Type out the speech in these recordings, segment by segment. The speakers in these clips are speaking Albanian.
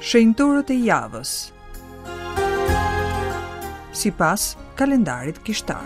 Shenjtorët e javës. Sipas kalendarit kishtar.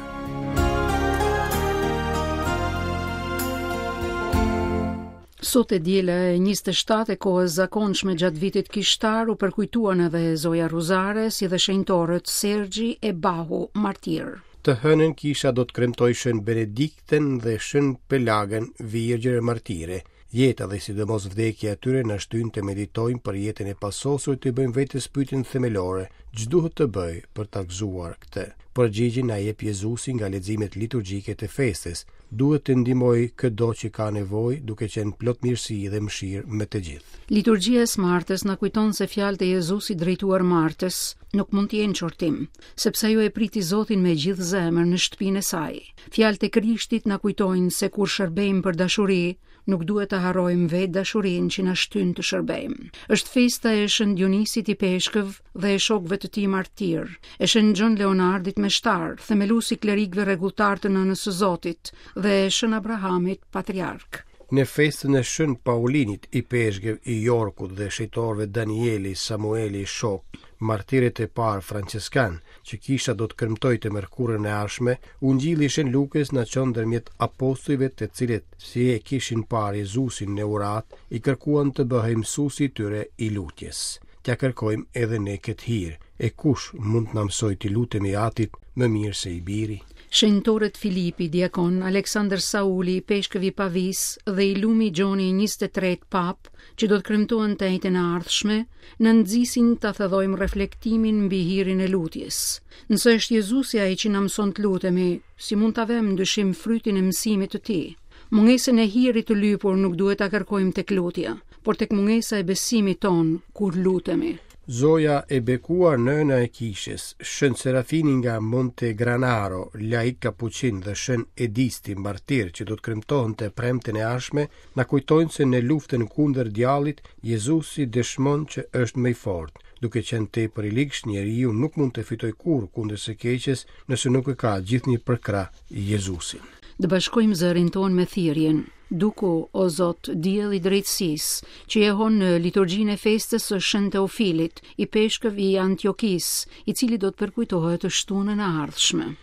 Sot e diela e 27 e kohës zakonshme gjatë vitit kishtar u përkujtuan edhe Zoja Ruzare si dhe shenjtorët Sergji e Bahu martirë. Të hënën kisha do të kremtojë Shën Benediktën dhe Shën Pelagën, virgjër e martire. Jeta dhe sidomos vdekja e tyre na shtyn të meditojmë për jetën e pasosur e t'i bëjmë vetes pyetjen themelore, ç'duhet të bëj për ta gëzuar këtë? Përgjigjen na jep Jezusi nga leximet liturgjike të festës. Duhet të ndihmoj këdo që ka nevojë, duke qenë plot mirësi dhe mëshirë me të gjithë. Liturgjia e së martës na kujton se fjalët e Jezusit drejtuar Martës nuk mund të jenë qortim, sepse ajo e priti Zotin me gjithë zemër në shtëpinë e saj. Fjalët e Krishtit na kujtojnë se kur shërbejmë për dashuri, nuk duhet të harrojmë vetë dashurinë që na shtyn të shërbejmë. Është festa e Shën Dionisit Ipeshkëv dhe e shokëve të tij martirë, e Shën Gjon Leonardit Meshtar, themelues i klerikëve rregulltarë të Nënës së Zotit dhe e Shën Abrahamit Patriark. Në festën e Shën Paulinit, ipeshkëv i Jorkut dhe shenjtorëve Danieli, Samueli, shokë, martirët e parë françeskanë, që kisha do të kremtojë të mërkurën e ardhshme, Ungjilli i Shën Lukës na çon ndërmjet apostujve të cilët, si e kishin parë Jezusin në uratë, i kërkuan të bëhej mësuesi i tyre i lutjes. T'ia kërkojmë edhe ne këtë hir, e kush mund të na mësojë t'i lutemi Atit më mirë se i Biri? Shenjtorët Filipi, diakon, Aleksandër Sauli, ipeshkëv i Pavisë dhe i lumi Gjoni i 23 Papë, që do të kremtohen të enjten e ardhshme, na nxisin ta thellojmë reflektimin mbi hirin e lutjes. Nëse është Jezusi ai që na mëson të lutemi, si mund ta vëmë në dyshim frytin e mësimit të tij? Mungesën e hirit të lypur nuk duhet ta kërkojmë tek lutja, por tek mungesa e besimit tonë kur lutemi. Zoja e bekuar nëna e kishës, Shën Serafini nga Montegranaro, laik kapuçin dhe Shën Edisti, martir që do të kremtohen të premten e ardhshme, Na kujtojnë se në luftën kundër djallit, Jezusi dëshmon që është më i fortë. Duke qenë tepër i ligshtë, njeriu nuk mund të fitojë kurrë kundër së keqes nëse nuk e ka gjithnjë përkrah Jezusin. Të bashkojmë zërin tonë me thirrjen, Duku, o Zot, diell i drejtësisë, që jehon në liturgjinë e festës së Shën Teofilit, ipeshkëv i Antiokisë, i cili do të përkujtohet të shtunën e ardhshme.